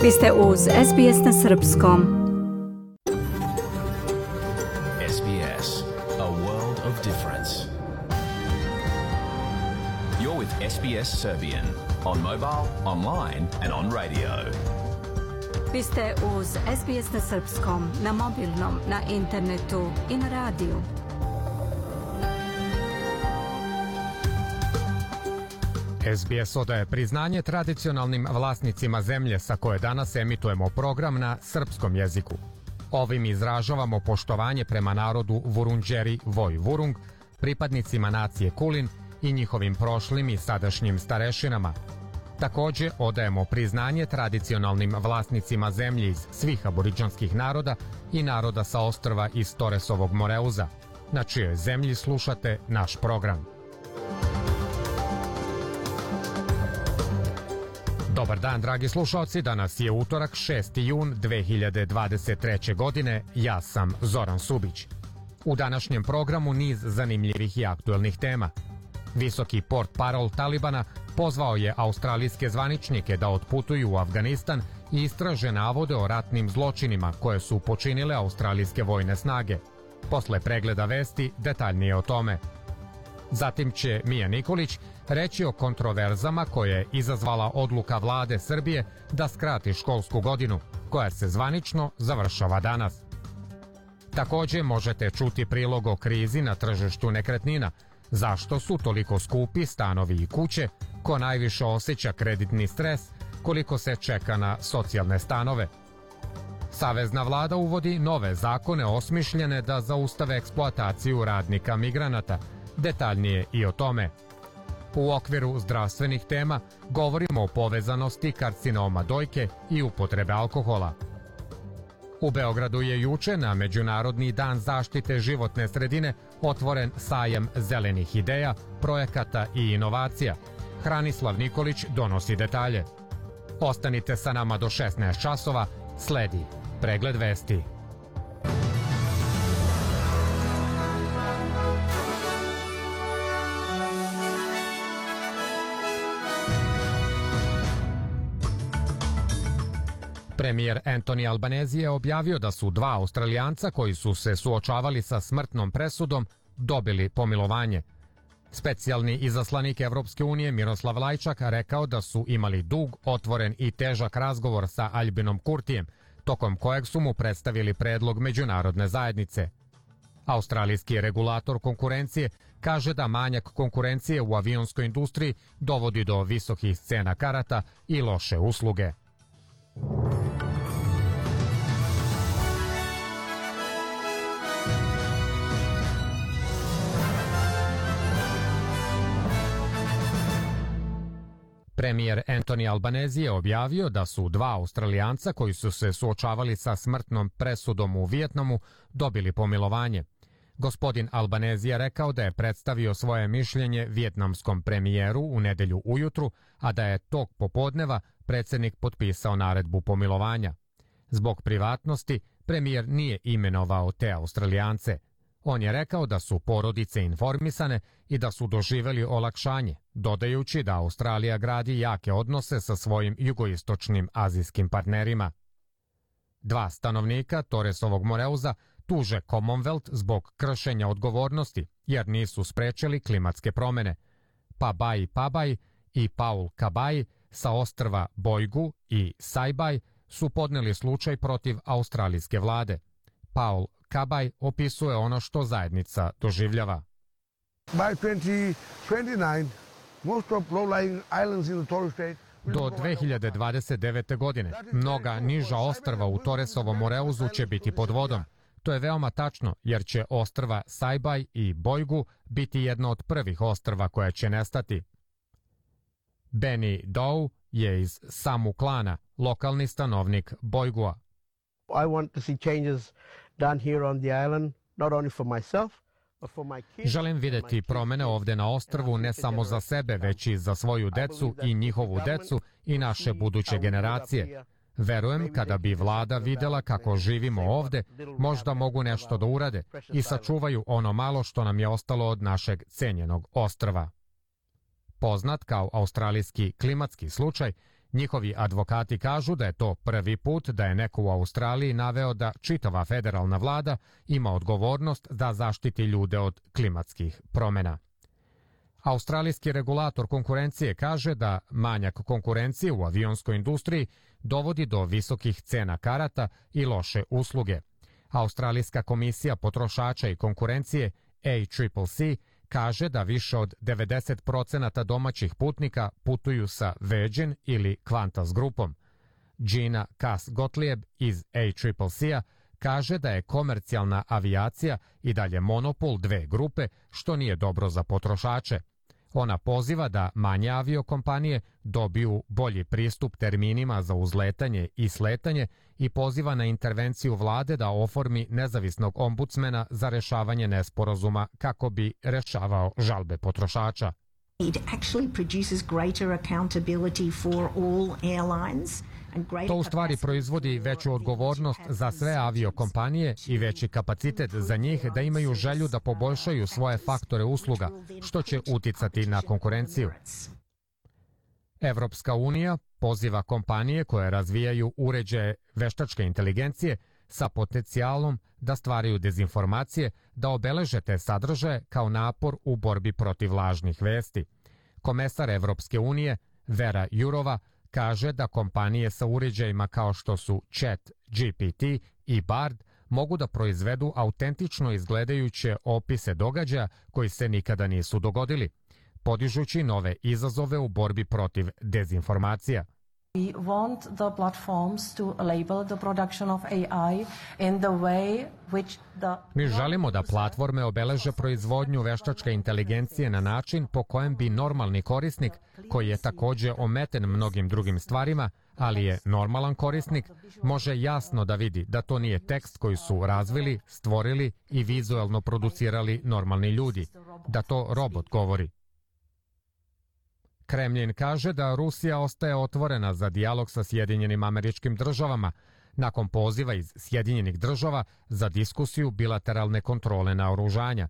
Vi ste uz SBS na srpskom. SBS, a world of difference. You're with SBS Serbian on mobile, online and on radio. Vi ste uz SBS na srpskom, na mobilnom, na internetu i na radiju. SBS odaje priznanje tradicionalnim vlasnicima zemlje sa koje danas emitujemo program na srpskom jeziku. Ovim izražavamo poštovanje prema narodu Vurundjeri Voi Vurung, pripadnicima nacije Kulin i njihovim prošlim i sadašnjim starešinama. Također odajemo priznanje tradicionalnim vlasnicima zemlje iz svih aboridžanskih naroda i naroda sa ostrva iz Toresovog Moreuza, na čijoj zemlji slušate naš program. Dobar dan, dragi slušalci, danas je utorak 6. jun 2023. godine, ja sam Zoran Subić. U današnjem programu niz zanimljivih i aktuelnih tema. Visoki portparol Talibana pozvao je australijske zvaničnike da otputuju u Afganistan i istraže navode o ratnim zločinima koje su počinile australijske vojne snage. Posle pregleda vesti detaljnije o tome. Zatim će Mija Nikolić reći o kontroverzama koje je izazvala odluka vlade Srbije da skrati školsku godinu, koja se zvanično završava danas. Također možete čuti prilog o krizi na tržištu nekretnina, zašto su toliko skupi stanovi i kuće, ko najviše osjeća kreditni stres, koliko se čeka na socijalne stanove. Savezna vlada uvodi nove zakone osmišljene da zaustave eksploataciju radnika migranata, detaljnije i o tome. U okviru zdravstvenih tema govorimo o povezanosti karcinoma dojke i upotrebe alkohola. U Beogradu je juče na Međunarodni dan zaštite životne sredine otvoren sajam zelenih ideja, projekata i inovacija. Hranislav Nikolić donosi detalje. Ostanite sa nama do 16 časova, sledi pregled vesti. Premijer Anthony Albanese je objavio da su dva Australijanca koji su se suočavali sa smrtnom presudom dobili pomilovanje. Specijalni izaslanik Evropske unije Miroslav Lajčak rekao da su imali dug, otvoren i težak razgovor sa Albinom Kurtijem, tokom kojeg su mu predstavili predlog međunarodne zajednice. Australijski regulator konkurencije kaže da manjak konkurencije u avionskoj industriji dovodi do visokih cena karata i loše usluge. Premijer Anthony Albanese je objavio da su dva Australijanca koji su se suočavali sa smrtnom presudom u Vijetnamu dobili pomilovanje. Gospodin Albanese je rekao da je predstavio svoje mišljenje vijetnamskom premijeru u nedelju ujutru, a da je tog popodneva predsjednik potpisao naredbu pomilovanja. Zbog privatnosti, premijer nije imenovao te Australijance. On je rekao da su porodice informisane i da su doživjeli olakšanje, dodajući da Australija gradi jake odnose sa svojim jugoistočnim azijskim partnerima. Dva stanovnika Toresovog Moreuza tuže Commonwealth zbog kršenja odgovornosti, jer nisu sprečili klimatske promjene. Pabai Pabai i Paul Kabai sa ostrva Boigu i Saibai su podneli slučaj protiv australijske vlade. Paul Kabai opisuje ono što zajednica doživljava. Do 2029. godine mnoga niža ostrva u Toresovom Moreuzu će biti pod vodom. To je veoma tačno, jer će ostrva Saibai i Boigu biti jedno od prvih ostrva koja će nestati. Benny Dow je iz Samu klana, lokalni stanovnik Boigua. I want to see changes done here on the island, not only for myself, but for my kids. Želim vidjeti promjene ovdje na ostrvu ne samo za sebe, već i za svoju decu i njihovu decu i naše buduće generacije. Verujem, kada bi vlada vidjela kako živimo ovdje, možda mogu nešto da urade i sačuvaju ono malo što nam je ostalo od našeg cenjenog ostrva. Poznat kao australijski klimatski slučaj, Njihovi advokati kažu da je to prvi put da je neko u Australiji naveo da čitava federalna vlada ima odgovornost da zaštiti ljude od klimatskih promjena. Australijski regulator konkurencije kaže da manjak konkurencije u avionskoj industriji dovodi do visokih cena karata i loše usluge. Australijska komisija potrošača i konkurencije ACCC kaže da više od 90% domaćih putnika putuju sa Virgin ili Qantas grupom. Gina Cass-Gottlieb iz ACCC-a kaže da je komercijalna avijacija i dalje monopol dve grupe, što nije dobro za potrošače. Ona poziva da manje aviokompanije dobiju bolji pristup terminima za uzletanje i sletanje i poziva na intervenciju vlade da oformi nezavisnog ombudsmena za rešavanje nesporazuma kako bi rešavao žalbe potrošača. It actually produces greater accountability for all airlines. To u stvari proizvodi veću odgovornost za sve aviokompanije i veći kapacitet za njih da imaju želju da poboljšaju svoje faktore usluga, što će uticati na konkurenciju. Evropska unija poziva kompanije koje razvijaju uređaje veštačke inteligencije sa potencijalom da stvaraju dezinformacije, da obeleže te sadržaje kao napor u borbi protiv lažnih vesti. Komesar Evropske unije Vera Jourova kaže da kompanije sa uređajima kao što su ChatGPT i Bard mogu da proizvedu autentično izgledajuće opise događaja koji se nikada nisu dogodili, podižući nove izazove u borbi protiv dezinformacija. We want the platforms to label the production of AI in the way which the... Mi želimo da platforme obeleže proizvodnju veštačke inteligencije na način po kojem bi normalni korisnik, koji je također ometen mnogim drugim stvarima, ali je normalan korisnik, može jasno da vidi da to nije tekst koji su razvili, stvorili i vizuelno producirali normalni ljudi, da to robot govori. Kremlin kaže da Rusija ostaje otvorena za dijalog sa Sjedinjenim Američkim Državama nakon poziva iz Sjedinjenih Država za diskusiju bilateralne kontrole naoružanja.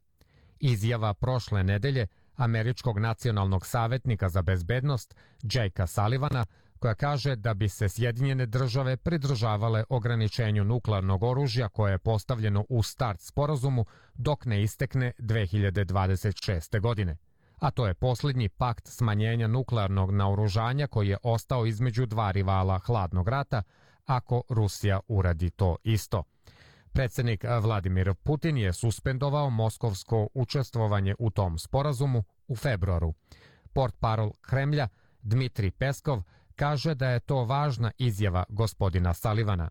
Izjava prošle nedelje američkog nacionalnog savjetnika za bezbednost Jakea Sullivana, koja kaže da bi se Sjedinjene Države pridržavale ograničenju nuklearnog oružja koje je postavljeno u start sporazumu dok ne istekne 2026. godine. A to je posljednji pakt smanjenja nuklearnog naoružanja koji je ostao između dva rivala hladnog rata, ako Rusija uradi to isto. Predsjednik Vladimir Putin je suspendovao moskovsko učestvovanje u tom sporazumu u februaru. Portparol Kremlja Dmitrij Peskov kaže da je to važna izjava gospodina Sullivana.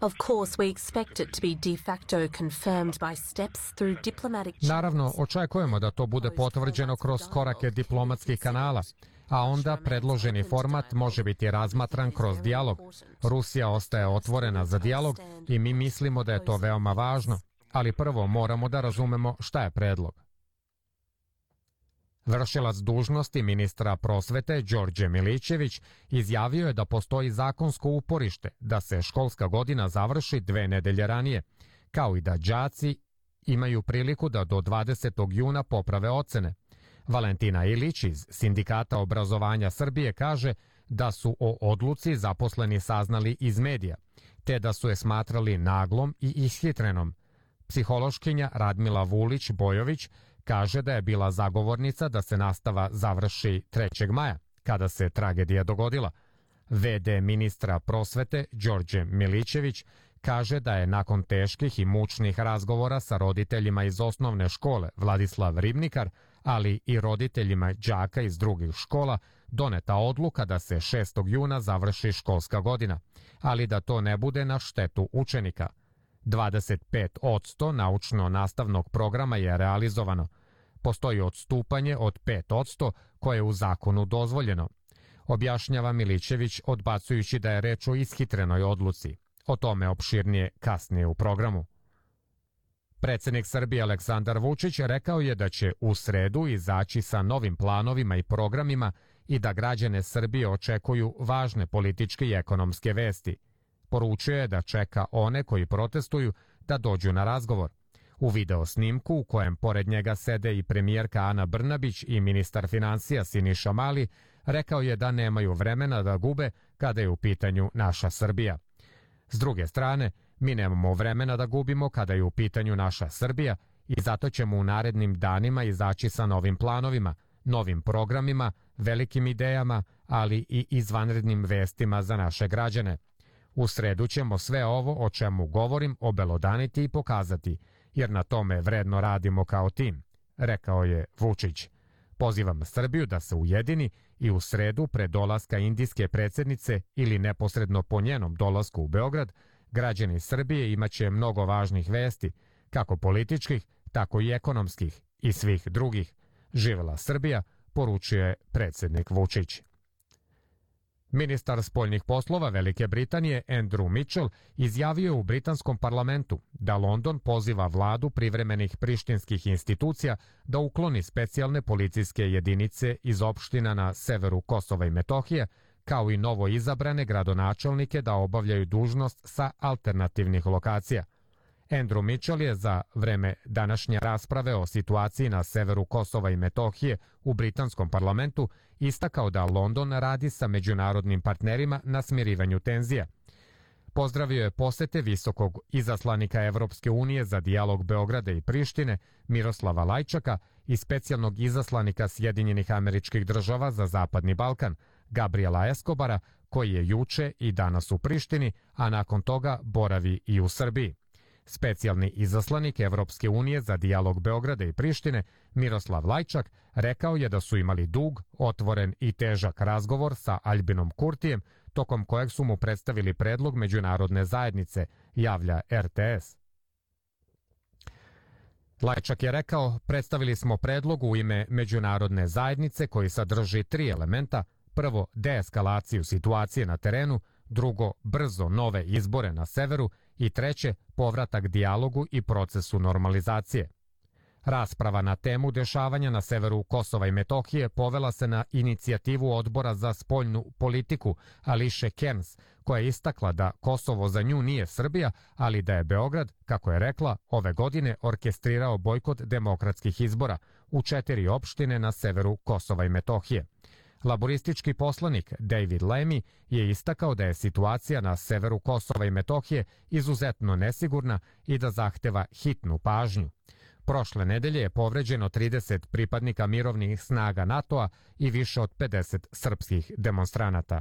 Of course, we expect it to be de facto confirmed by steps through diplomatic... Naravno, očekujemo da to bude potvrđeno kroz korake diplomatskih kanala, a onda predloženi format može biti razmatran kroz dijalog. Rusija ostaje otvorena za dijalog i mi mislimo da je to veoma važno, ali prvo moramo da razumemo šta je predlog. Vršilac dužnosti ministra prosvete Đorđe Milićević izjavio je da postoji zakonsko uporište da se školska godina završi 2 nedelje ranije, kao i da đaci imaju priliku da do 20. juna poprave ocene. Valentina Ilić iz Sindikata obrazovanja Srbije kaže da su o odluci zaposleni saznali iz medija, te da su je smatrali naglom i ishitrenom. Psihološkinja Radmila Vulić-Bojović kaže da je bila zagovornica da se nastava završi 3. maja, kada se tragedija dogodila. VD ministra prosvete Đorđe Milićević kaže da je nakon teških i mučnih razgovora sa roditeljima iz osnovne škole Vladislav Ribnikar, ali i roditeljima đaka iz drugih škola, doneta odluka da se 6. juna završi školska godina, ali da to ne bude na štetu učenika. 25% naučno-nastavnog programa je realizovano. Postoji odstupanje od 5% koje je u zakonu dozvoljeno, objašnjava Milićević odbacujući da je reč o ishitrenoj odluci. O tome opširnije kasnije u programu. Predsjednik Srbije Aleksandar Vučić rekao je da će u sredu izaći sa novim planovima i programima i da građane Srbije očekuju važne političke i ekonomske vesti. Poručio je da čeka one koji protestuju da dođu na razgovor. U video snimku u kojem pored njega sede i premijerka Ana Brnabić i ministar finansija Siniša Mali, rekao je da nemaju vremena da gube kada je u pitanju naša Srbija. S druge strane, mi nemamo vremena da gubimo kada je u pitanju naša Srbija i zato ćemo u narednim danima izaći sa novim planovima, novim programima, velikim idejama, ali i izvanrednim vestima za naše građane. U sredu ćemo sve ovo o čemu govorim obelodaniti i pokazati, jer na tome vredno radimo kao tim, rekao je Vučić. Pozivam Srbiju da se ujedini i u sredu pre dolaska indijske predsjednice ili neposredno po njenom dolasku u Beograd, građani Srbije imaće mnogo važnih vesti, kako političkih, tako i ekonomskih i svih drugih. Živela Srbija, poručuje predsjednik Vučić. Ministar spoljnih poslova Velike Britanije Andrew Mitchell izjavio u britanskom parlamentu da London poziva vladu privremenih prištinskih institucija da ukloni specijalne policijske jedinice iz opština na severu Kosova i Metohije, kao i novo izabrane gradonačelnike da obavljaju dužnost sa alternativnih lokacija. Andrew Mitchell je za vreme današnje rasprave o situaciji na severu Kosova i Metohije u britanskom parlamentu istakao da London radi sa međunarodnim partnerima na smirivanju tenzija. Pozdravio je posete visokog izaslanika Evropske unije za dijalog Beograda i Prištine Miroslava Lajčaka i specijalnog izaslanika Sjedinjenih Američkih Država za Zapadni Balkan Gabriela Escobara, koji je juče i danas u Prištini, a nakon toga boravi i u Srbiji. Specijalni izaslanik Evropske unije za dijalog Beograda i Prištine Miroslav Lajčak rekao je da su imali dug, otvoren i težak razgovor sa Aljbinom Kurtijem, tokom kojeg su mu predstavili predlog međunarodne zajednice, javlja RTS. Lajčak je rekao, predstavili smo predlog u ime međunarodne zajednice koji sadrži 3 elementa. Prvo, deeskalaciju situacije na terenu, drugo, brzo nove izbore na severu i treće, povratak dijalogu i procesu normalizacije. Rasprava na temu dešavanja na severu Kosova i Metohije povela se na inicijativu Odbora za spoljnu politiku Ališe Kearns, koja je istakla da Kosovo za nju nije Srbija, ali da je Beograd, kako je rekla, ove godine orkestrirao bojkot demokratskih izbora u 4 opštine na severu Kosova i Metohije. Laboristički poslanik David Lammy je istakao da je situacija na severu Kosova i Metohije izuzetno nesigurna i da zahteva hitnu pažnju. Prošle nedelje je povređeno 30 pripadnika mirovnih snaga NATO-a i više od 50 srpskih demonstranata.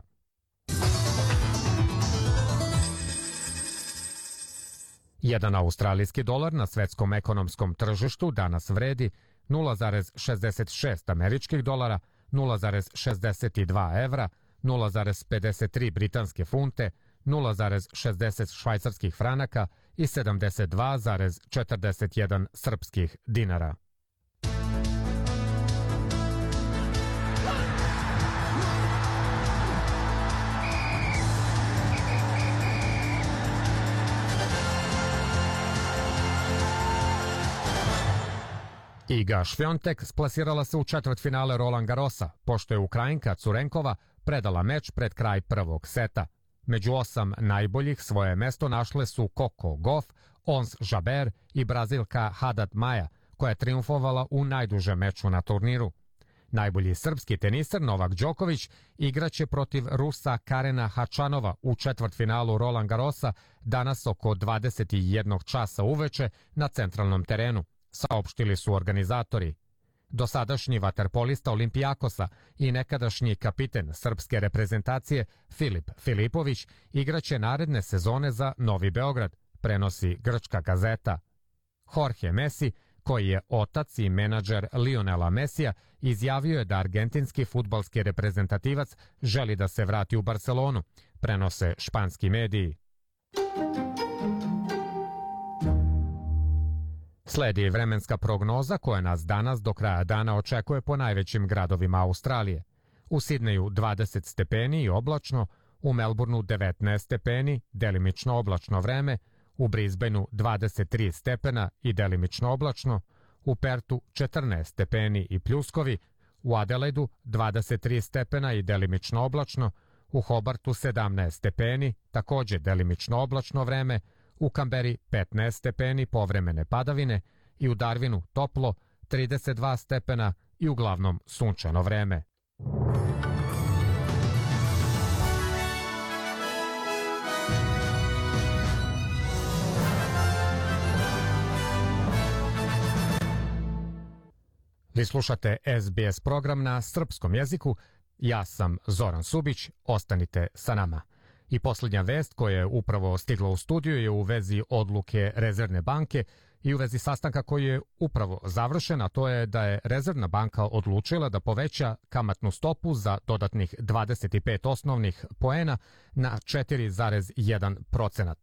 Jedan australijski dolar na svetskom ekonomskom tržištu danas vredi 0,66 američkih dolara, 0,62 evra, 0,53 britanske funte, 0,60 švajcarskih franaka i 72,41 srpskih dinara. Iga Švjontek splasirala se u četvrtfinale Roland Garrosa, pošto je Ukrajinka Curenkova predala meč pred kraj prvog seta. Među 8 najboljih svoje mesto našle su Coco Gauff, Ons Jabeur i Brazilka Haddad Maia, koja je triumfovala u najdužem meču na turniru. Najbolji srpski teniser Novak Đoković igraće protiv Rusa Karena Hačanova u četvrtfinalu Roland Garrosa danas oko 21 časa uveče na centralnom terenu, saopštili su organizatori. Dosadašnji vaterpolista Olimpijakosa i nekadašnji kapiten srpske reprezentacije Filip Filipović igraće naredne sezone za Novi Beograd, prenosi grčka gazeta. Jorge Messi, koji je otac i menadžer Lionela Messija, izjavio je da argentinski fudbalski reprezentativac želi da se vrati u Barcelonu, prenose španski mediji. Sledi vremenska prognoza koja nas danas do kraja dana očekuje po najvećim gradovima Australije. U Sidneju 20 stepeni i oblačno, u Melbourneu 19 stepeni, delimično oblačno vreme, u Brisbaneu 23 stepena i delimično oblačno, u Pertu 14 stepeni i pljuskovi, u Adelaidu 23 stepena i delimično oblačno, u Hobartu 17 stepeni, također delimično oblačno vreme, u Kamberi 15 stepeni povremene padavine i u Darwinu toplo 32 stepena i uglavnom sunčano vreme. Vi slušate SBS program na srpskom jeziku. Ja sam Zoran Subić, ostanite sa nama. I posljednja vest koja je upravo stigla u studiju je u vezi odluke Rezervne banke i u vezi sastanka koji je upravo završen, a to je da je Rezervna banka odlučila da poveća kamatnu stopu za dodatnih 25 osnovnih poena na 4,1%.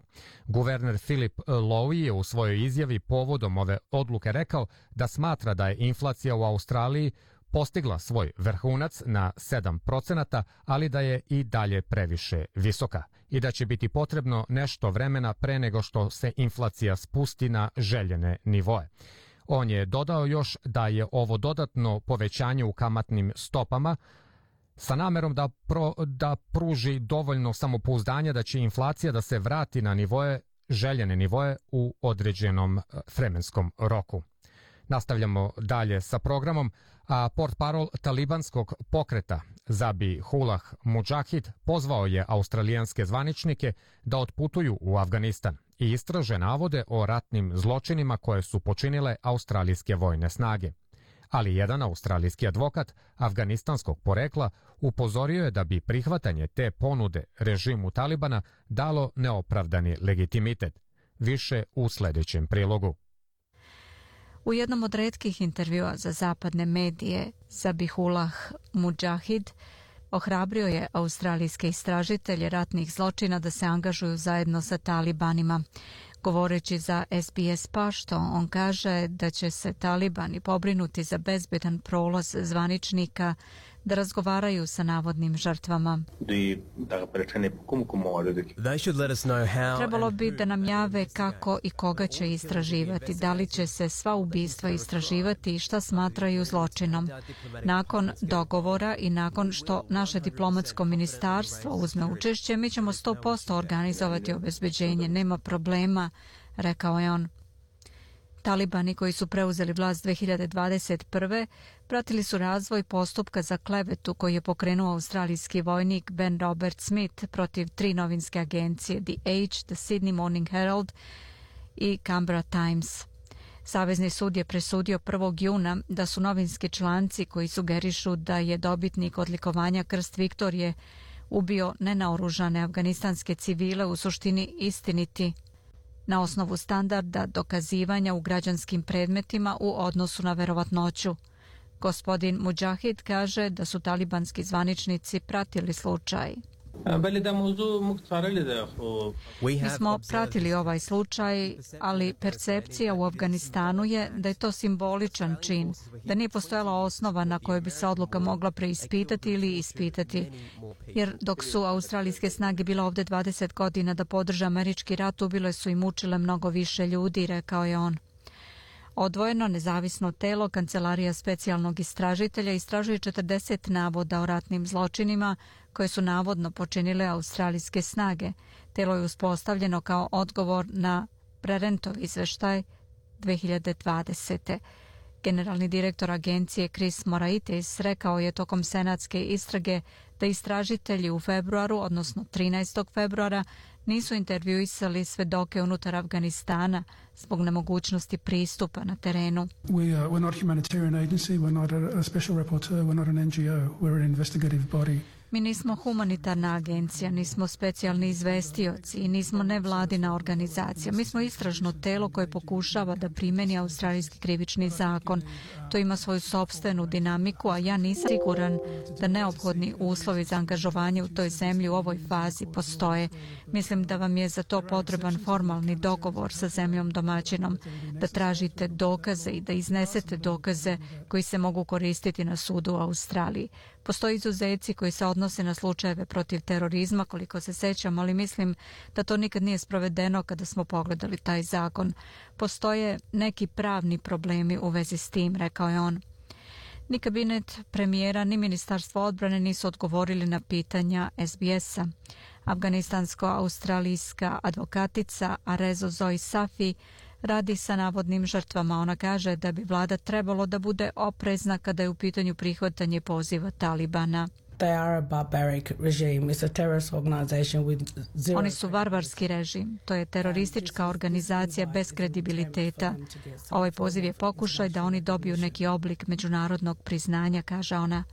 Guverner Philip Lowe je u svojoj izjavi povodom ove odluke rekao da smatra da je inflacija u Australiji postigla svoj vrhunac na 7%, ali da je i dalje previše visoka i da će biti potrebno nešto vremena pre nego što se inflacija spusti na željene nivoe. On je dodao još da je ovo dodatno povećanje u kamatnim stopama sa namerom da pruži dovoljno samopouzdanja da će inflacija da se vrati na nivoe, željene nivoe u određenom vremenskom roku. Nastavljamo dalje sa programom, a portparol talibanskog pokreta Zabihullah Mujahid pozvao je australijanske zvaničnike da otputuju u Afganistan i istraže navode o ratnim zločinima koje su počinile australijske vojne snage. Ali jedan australijski advokat afganistanskog porekla upozorio je da bi prihvatanje te ponude režimu Talibana dalo neopravdani legitimitet. Više u sljedećem prilogu. U jednom od retkih intervjua za zapadne medije, Zabihullah Mujahid ohrabrio je australijske istražitelje ratnih zločina da se angažuju zajedno sa talibanima. Govoreći za SBS Pašto, on kaže da će se talibani pobrinuti za bezbedan prolaz zvaničnika da razgovaraju sa navodnim žrtvama. Trebalo bi da nam jave kako i koga će istraživati, da li će se sva ubistva istraživati i šta smatraju zločinom. Nakon dogovora i nakon što naše diplomatsko ministarstvo uzme učešće, mi ćemo 100% organizovati obezbeđenje, nema problema, rekao je on. Talibani koji su preuzeli vlast 2021. pratili su razvoj postupka za klevetu koji je pokrenuo australijski vojnik Ben Robert Smith protiv 3 novinske agencije The Age, The Sydney Morning Herald i Canberra Times. Savezni sud je presudio 1. juna da su novinski članci koji sugerišu da je dobitnik odlikovanja Krst Viktorije ubio nenaoružane afganistanske civile u suštini istiniti na osnovu standarda dokazivanja u građanskim predmetima u odnosu na verovatnoću. Gospodin Mujahid kaže da su talibanski zvaničnici pratili slučaj. Mi smo pratili ovaj slučaj, ali percepcija u Afganistanu je da je to simboličan čin, da nije postojala osnova na kojoj bi se odluka mogla preispitati ili ispitati. Jer dok su australijske snage bile ovdje 20 godina da podrže američki rat, ubile su i mučile mnogo više ljudi, rekao je on. Odvojeno nezavisno telo Kancelarija specijalnog istražitelja istražuje 40 navoda o ratnim zločinima koje su navodno počinile australijske snage. Telo je uspostavljeno kao odgovor na Prerentov izveštaj 2020. Generalni direktor agencije Chris Moraitis rekao je tokom senatske istrage da istražitelji u februaru, odnosno 13. februara, nisu intervjuisali svedoke unutar Afganistana zbog nemogućnosti pristupa na terenu. We're not a humanitarian agency, we're not a special rapporteur, we're not an NGO, we're an investigative body. Mi nismo humanitarna agencija, nismo specijalni izvestioci i nismo nevladina organizacija. Mi smo istražno telo koje pokušava da primeni australijski krivični zakon. To ima svoju sopstvenu dinamiku, a ja nisam siguran da neophodni uslovi za angažovanje u toj zemlji u ovoj fazi postoje. Mislim da vam je za to potreban formalni dogovor sa zemljom domaćinom, da tražite dokaze i da iznesete dokaze koji se mogu koristiti na sudu u Australiji. Postoje izuzeci koji se odnose na slučajeve protiv terorizma, koliko se sećam, ali mislim da to nikad nije sprovedeno kada smo pogledali taj zakon. Postoje neki pravni problemi u vezi s tim, rekao je on. Ni kabinet premijera, ni ministarstvo odbrane nisu odgovorili na pitanja SBS-a. Afganistansko-australijska advokatica Arezo Zoe Safi radi sa navodnim žrtvama. Ona kaže da bi vlada trebalo da bude oprezna kada je u pitanju prihvatanje poziva Talibana. Oni su varvarski režim. To je teroristička organizacija bez kredibiliteta. Ovaj poziv je pokušaj da oni dobiju neki oblik međunarodnog priznanja, kaže ona.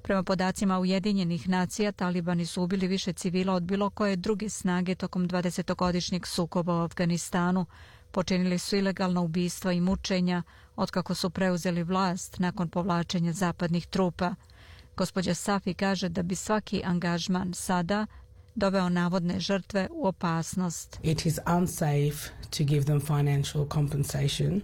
Prema podacima Ujedinjenih nacija, talibani su ubili više civila od bilo koje druge snage tokom 20-godišnjeg sukoba u Afganistanu. Počinili su ilegalna ubistva i mučenja otkako su preuzeli vlast nakon povlačenja zapadnih trupa. Gospođa Safi kaže da bi svaki angažman sada doveo navodne žrtve u opasnost. It is unsafe to give them financial compensation.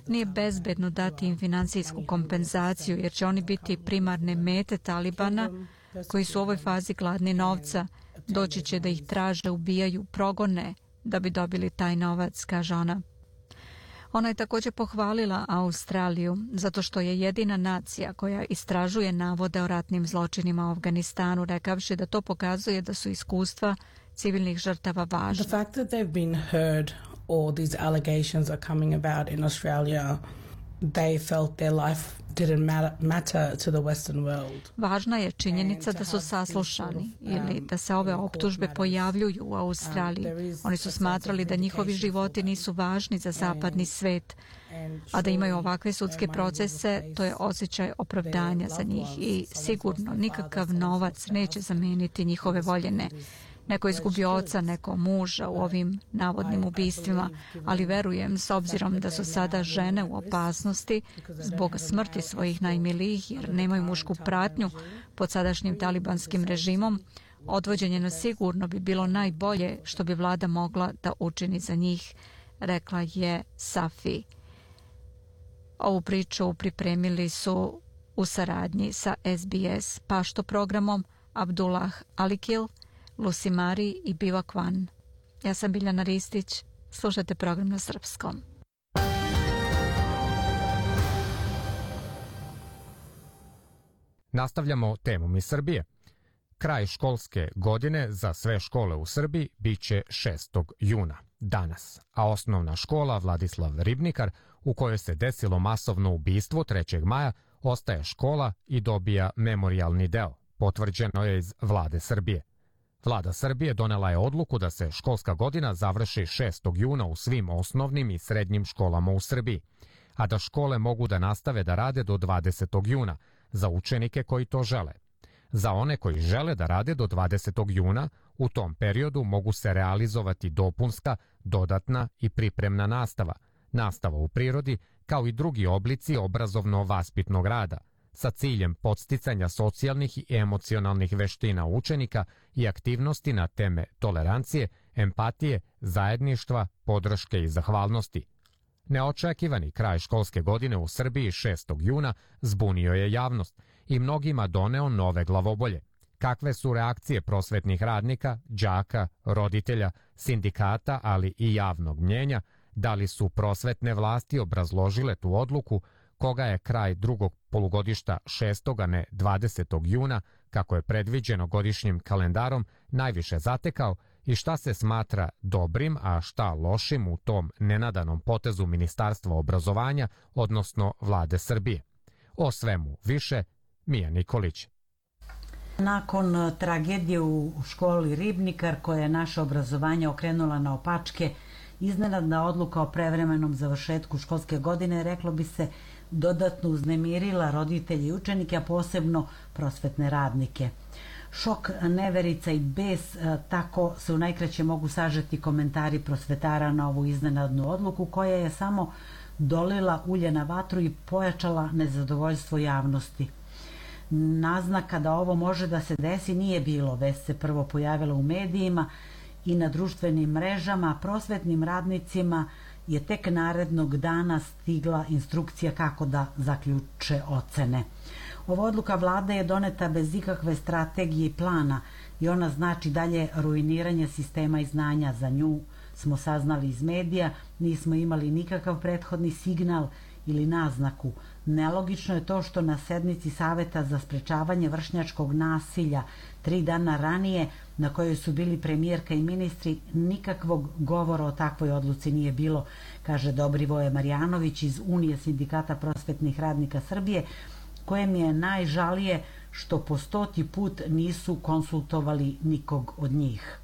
Nije bezbedno dati im financijsku kompenzaciju jer će oni biti primarne mete Talibana koji su u ovoj fazi gladni novca. Doći će da ih traže, ubijaju, progone da bi dobili taj novac, kaže ona. Ona je također pohvalila Australiju zato što je jedina nacija koja istražuje navode o ratnim zločinima u Afganistanu, rekavši da to pokazuje da su iskustva civilnih žrtava važna. The fact that they've been heard or these allegations are coming about in Australia, they felt their life didn't matter to the Western world. Važna je činjenica da su saslušani ili da se ove optužbe pojavljuju u Australiji. Oni su smatrali da njihovi životi nisu važni za zapadni svet, a da imaju ovakve sudske procese, to je osjećaj opravdanja za njih i sigurno nikakav novac neće zameniti njihove voljene. Neko izgubio oca, neko muža u ovim navodnim ubistvima, ali verujem, s obzirom da su sada žene u opasnosti zbog smrti svojih najmilijih jer nemaju mušku pratnju pod sadašnjim talibanskim režimom, odvođenje na sigurno bi bilo najbolje što bi vlada mogla da učini za njih, rekla je Safi. Ovu priču pripremili su u saradnji sa SBS Pašto programom Abdullah Alikil, Lucy Mari i Biva Kwan. Ja sam Biljana Ristić, slušajte program na srpskom. Nastavljamo temom iz Srbije. Kraj školske godine za sve škole u Srbiji biće 6. juna, danas, a osnovna škola Vladislav Ribnikar, u kojoj se desilo masovno ubistvo 3. maja, ostaje škola i dobija memorijalni deo, potvrđeno je iz Vlade Srbije. Vlada Srbije donela je odluku da se školska godina završi 6. juna u svim osnovnim i srednjim školama u Srbiji, a da škole mogu da nastave da rade do 20. juna za učenike koji to žele. Za one koji žele da rade do 20. juna, u tom periodu mogu se realizovati dopunska, dodatna i pripremna nastava, nastava u prirodi, kao i drugi oblici obrazovno-vaspitnog rada, sa ciljem podsticanja socijalnih i emocionalnih veština učenika i aktivnosti na teme tolerancije, empatije, zajedništva, podrške i zahvalnosti. Neočekivani kraj školske godine u Srbiji 6. juna zbunio je javnost i mnogima doneo nove glavobolje. Kakve su reakcije prosvetnih radnika, đaka, roditelja, sindikata, ali i javnog mnjenja, da li su prosvetne vlasti obrazložile tu odluku, koga je kraj drugog polugodišta 6. a ne 20. juna, kako je predviđeno godišnjim kalendarom, najviše zatekao i šta se smatra dobrim, a šta lošim u tom nenadanom potezu Ministarstva obrazovanja, odnosno Vlade Srbije. O svemu više, Mija Nikolić. Nakon tragedije u školi Ribnikar, koja je naše obrazovanje okrenula na opačke, iznenadna odluka o prevremenom završetku školske godine, reklo bi se, dodatno uznemirila roditelje i učenike, a posebno prosvetne radnike. Šok, neverica i bes, tako se u najkraće mogu sažeti komentari prosvetara na ovu iznenadnu odluku, koja je samo dolila ulje na vatru i pojačala nezadovoljstvo javnosti. Naznaka da ovo može da se desi nije bilo, već se prvo pojavilo u medijima i na društvenim mrežama, a prosvetnim radnicima je tek narednog dana stigla instrukcija kako da zaključe ocene. Ova odluka vlade je doneta bez ikakve strategije i plana i ona znači dalje ruiniranje sistema i znanja. Za nju smo saznali iz medija, nismo imali nikakav prethodni signal ili naznaku. Nelogično je to što na sednici Saveta za sprečavanje vršnjačkog nasilja 3 dana ranije, na kojoj su bili premijerka i ministri, nikakvog govora o takvoj odluci nije bilo, kaže Dobrivoje Marjanović iz Unije sindikata prosvetnih radnika Srbije, kojem je najžalije što po 100. put nisu konsultovali nikog od njih.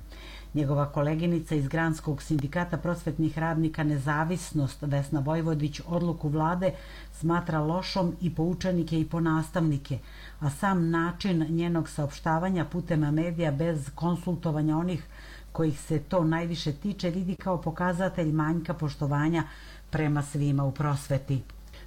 Njegova koleginica iz Granskog sindikata prosvetnih radnika Nezavisnost, Vesna Vojvodić, odluku vlade smatra lošom i po učenike i po nastavnike, a sam način njenog saopštavanja putem medija bez konsultovanja onih kojih se to najviše tiče vidi kao pokazatelj manjka poštovanja prema svima u prosveti.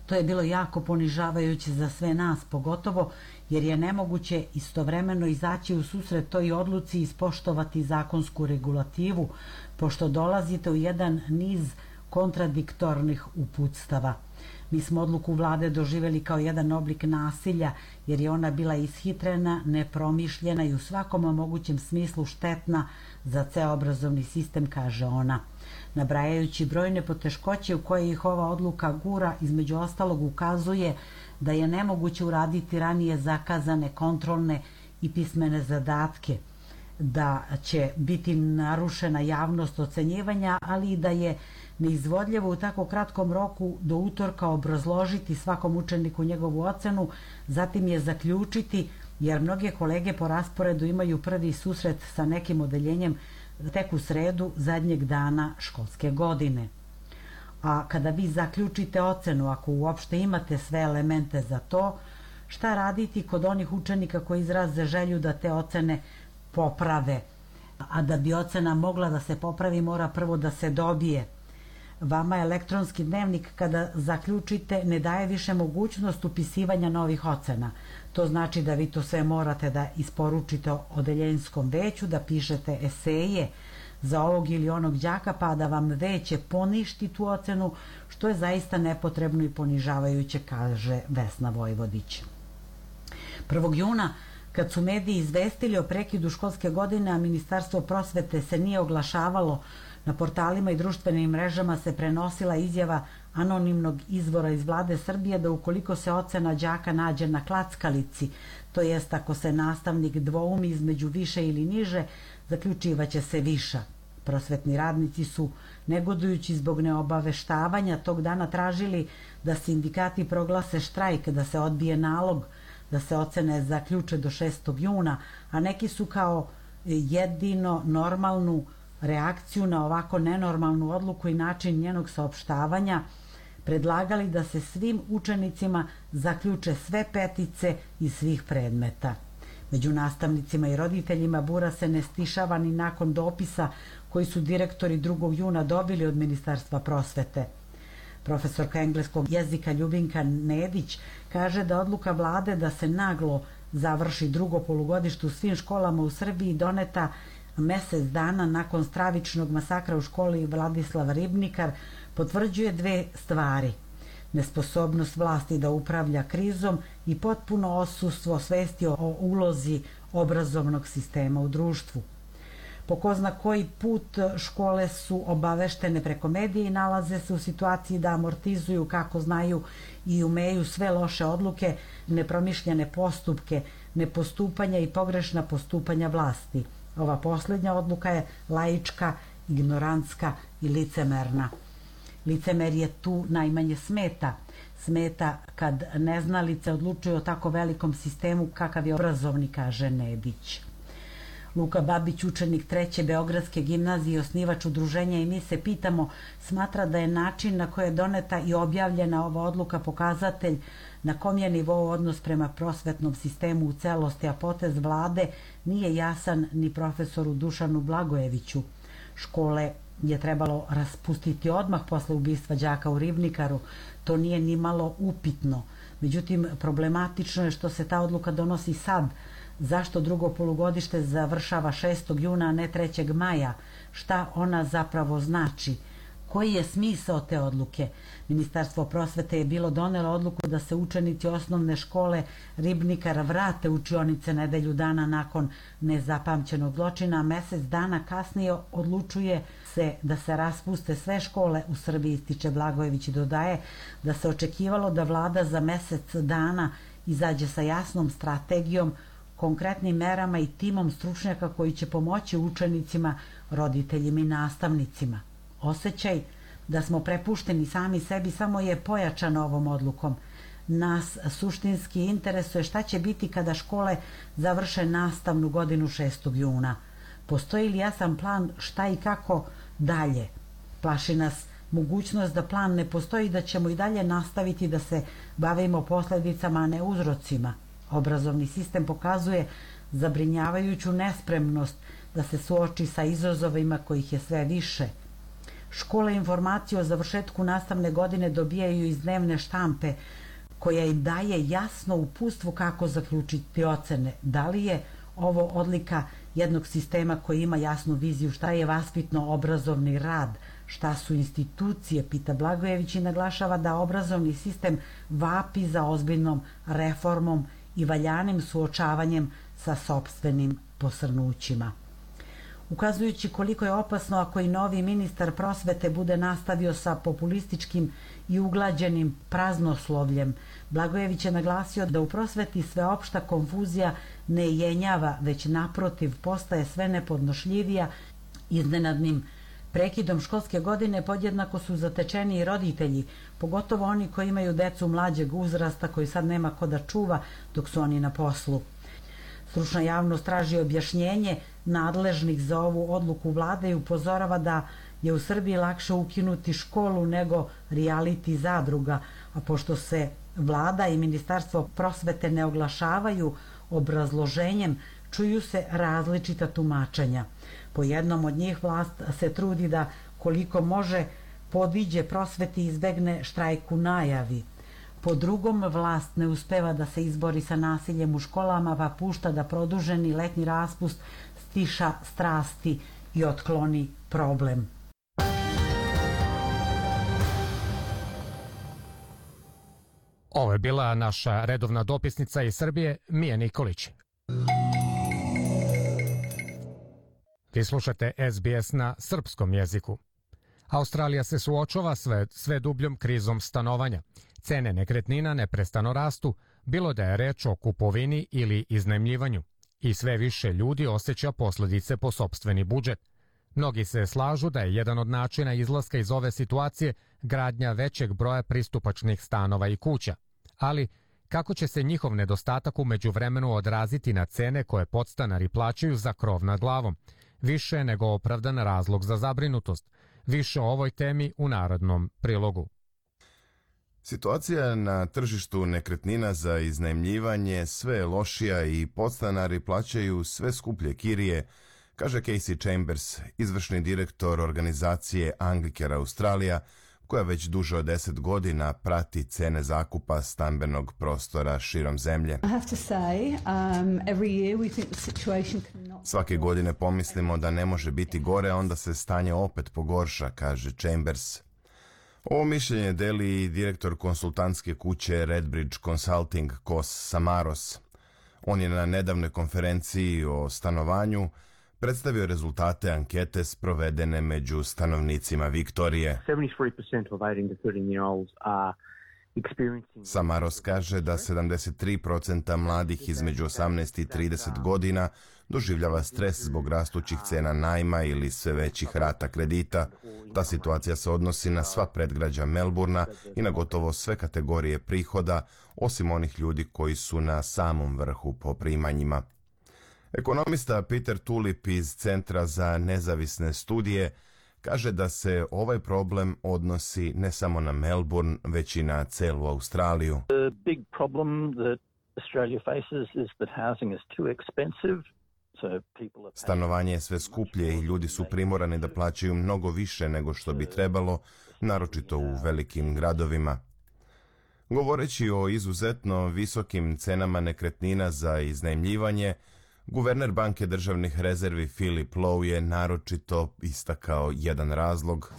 To je bilo jako ponižavajuće za sve nas, pogotovo jer je nemoguće istovremeno izaći u susret toj odluci i ispoštovati zakonsku regulativu, pošto dolazite u jedan niz kontradiktornih uputstava. Mi smo odluku vlade doživjeli kao jedan oblik nasilja, jer je ona bila ishitrena, nepromišljena i u svakom mogućem smislu štetna za ceo obrazovni sistem, kaže ona. Nabrajajući brojne poteškoće u koje ih ova odluka gura, između ostalog ukazuje da je nemoguće uraditi ranije zakazane kontrolne i pismene zadatke, da će biti narušena javnost ocenjivanja, ali i da je neizvodljivo u tako kratkom roku do utorka obrazložiti svakom učeniku njegovu ocenu, zatim je zaključiti, jer mnoge kolege po rasporedu imaju prvi susret sa nekim odeljenjem tek u sredu zadnjeg dana školske godine. A kada vi zaključite ocenu, ako uopšte imate sve elemente za to, šta raditi kod onih učenika koji izraze želju da te ocene poprave? A da bi ocena mogla da se popravi, mora prvo da se dobije. Vama elektronski dnevnik, kada zaključite, ne daje više mogućnost upisivanja novih ocena. To znači da vi to sve morate da isporučite odeljenskom veću, da pišete eseje za ovog ili onog đaka, pa da vam veće poništi tu ocenu, što je zaista nepotrebno i ponižavajuće, kaže Vesna Vojvodić. 1. juna, kad su mediji izvestili o prekidu školske godine, a Ministarstvo prosvete se nije oglašavalo, na portalima i društvenim mrežama se prenosila izjava anonimnog izvora iz vlade Srbije da ukoliko se ocena đaka nađe na klackalici, to jest ako se nastavnik dvoumi između više ili niže, zaključivaće se viša. Prosvetni radnici su, negodujući zbog neobaveštavanja, tog dana tražili da sindikati proglase štrajk, da se odbije nalog, da se ocene zaključe do 6. juna, a neki su kao jedino normalnu reakciju na ovako nenormalnu odluku i način njenog saopštavanja predlagali da se svim učenicima zaključe sve petice iz svih predmeta. Među nastavnicima i roditeljima bura se ne stišava ni nakon dopisa koji su direktori 2. juna dobili od Ministarstva prosvete. Profesorka engleskog jezika Ljubinka Nedić kaže da odluka vlade da se naglo završi drugo polugodište u svim školama u Srbiji doneta mesec dana nakon stravičnog masakra u školi Vladislava Ribnikar potvrđuje dve stvari: nesposobnost vlasti da upravlja krizom i potpuno odsustvo svesti o ulozi obrazovnog sistema u društvu. Po ko zna koji put škole su obaveštene preko medija i nalaze se u situaciji da amortizuju kako znaju i umeju sve loše odluke, nepromišljene postupke, nepostupanja i pogrešna postupanja vlasti. Ova posljednja odluka je laička, ignorantska i licemerna. Licemerje tu najmanje smeta. Smeta kad neznalice odlučuju o tako velikom sistemu kakav je obrazovni, kaže Nedić. Luka Babić, učenik 3. Beogradske gimnazije i osnivač udruženja I mi se pitamo, smatra da je način na koji je doneta i objavljena ova odluka pokazatelj na kom je nivou odnos prema prosvetnom sistemu u celosti, a potez vlade nije jasan ni profesoru Dušanu Blagojeviću. Škole je trebalo raspustiti odmah posle ubistva đaka u Ribnikaru, to nije ni malo upitno. Međutim, problematično je što se ta odluka donosi sad. Zašto drugo polugodište završava 6. juna, a ne 3. maja? Šta ona zapravo znači? Koji je smisao te odluke? Ministarstvo prosvete je bilo donelo odluku da se učenici osnovne škole Ribnikar vrate u učionice nedelju dana nakon nezapamćenog zločina, a mesec dana kasnije odlučuje se da se raspuste sve škole u Srbiji, ističe Blagojević i dodaje da se očekivalo da vlada za mesec dana izađe sa jasnom strategijom, konkretnim merama i timom stručnjaka koji će pomoći učenicima, roditeljima I nastavnicima. Osjećaj da smo prepušteni sami sebi samo je pojačan ovom odlukom. nas suštinski interesuje šta će biti kada škole završe nastavnu godinu 6. juna. Postoji li jasan plan šta i kako dalje? Plaši nas mogućnost da plan ne postoji, da ćemo i dalje nastaviti da se bavimo posljedicama, a ne uzrocima. Obrazovni sistem pokazuje zabrinjavajuću nespremnost da se suoči sa izazovima kojih je sve više. Škole informacije o završetku nastavne godine dobijaju iz dnevne štampe, koja im daje jasno uputstvo kako zaključiti ocene. Da li je ovo odlika jednog sistema koji ima jasnu viziju šta je vaspitno-obrazovni rad, šta su institucije, pita Blagojević i naglašava da obrazovni sistem vapi za ozbiljnom reformom i valjanim suočavanjem sa sopstvenim posrnućima. Ukazujući koliko je opasno ako i novi ministar prosvete bude nastavio sa populističkim i uglađenim praznoslovljem, Blagojević je naglasio da u prosveti sveopšta konfuzija ne jenjava, već naprotiv postaje sve nepodnošljivija. Iznenadnim prekidom školske godine podjednako su zatečeni i roditelji, pogotovo oni koji imaju decu mlađeg uzrasta koji sad nema ko da čuva dok su oni na poslu. Stručna javnost traži objašnjenje nadležnih za ovu odluku vlade i upozorava da je u Srbiji lakše ukinuti školu nego reality zadruga, a pošto se vlada i ministarstvo prosvete ne oglašavaju obrazloženjem, čuju se različita tumačenja. Po jednom od njih vlast se trudi da koliko može podiđe prosveti i izbegne štrajk u najavi. Po drugom, vlast ne uspeva da se izbori sa nasiljem u školama, pa pušta da produženi letnji raspust stiša strasti i otkloni problem. Ovo je bila naša redovna dopisnica iz Srbije, Mija Nikolić. Vi slušate SBS na srpskom jeziku. Australija se suočava sve dubljom krizom stanovanja. Cene nekretnina neprestano rastu, bilo da je reč o kupovini ili iznajmljivanju. I sve više ljudi osjeća posljedice po sopstveni budžet. Mnogi se slažu da je jedan od načina izlaska iz ove situacije gradnja većeg broja pristupačnih stanova i kuća. Ali kako će se njihov nedostatak u međuvremenu odraziti na cene koje podstanari plaćaju za krov nad glavom? Više nego opravdan razlog za zabrinutost. Više o ovoj temi u narednom prilogu. Situacija na tržištu nekretnina za iznajmljivanje sve je lošija i podstanari plaćaju sve skuplje kirije, kaže Casey Chambers, izvršni direktor organizacije Anglicare Australija, koja već duže od 10 godina prati cene zakupa stambenog prostora širom zemlje. Svake godine pomislimo da ne može biti gore, a onda se stanje opet pogorša, kaže Chambers. Ovo mišljenje deli i direktor konsultantske kuće Redbridge Consulting Kos Samaros. On je na nedavnoj konferenciji o stanovanju predstavio rezultate ankete sprovedene među stanovnicima Viktorije. 73% of 18 to 13-year-olds are experiencing... Samaros kaže da 73% mladih između 18 i 30 godina doživljava stres zbog rastućih cena najma ili sve većih rata kredita. Ta situacija se odnosi na sva predgrađa Melburna i na gotovo sve kategorije prihoda, osim onih ljudi koji su na samom vrhu po primanjima. Ekonomista Peter Tulip iz Centra za nezavisne studije kaže da se ovaj problem odnosi ne samo na Melbourne, već i na celu Australiju. The big problem that Australia faces is that housing is too expensive. Stanovanje je sve skuplje i ljudi su primorani da plaćaju mnogo više nego što bi trebalo, naročito u velikim gradovima. Govoreći o izuzetno visokim cenama nekretnina za iznajmljivanje, guverner Banke državnih rezervi Philip Lowe je naročito istakao jedan razlog.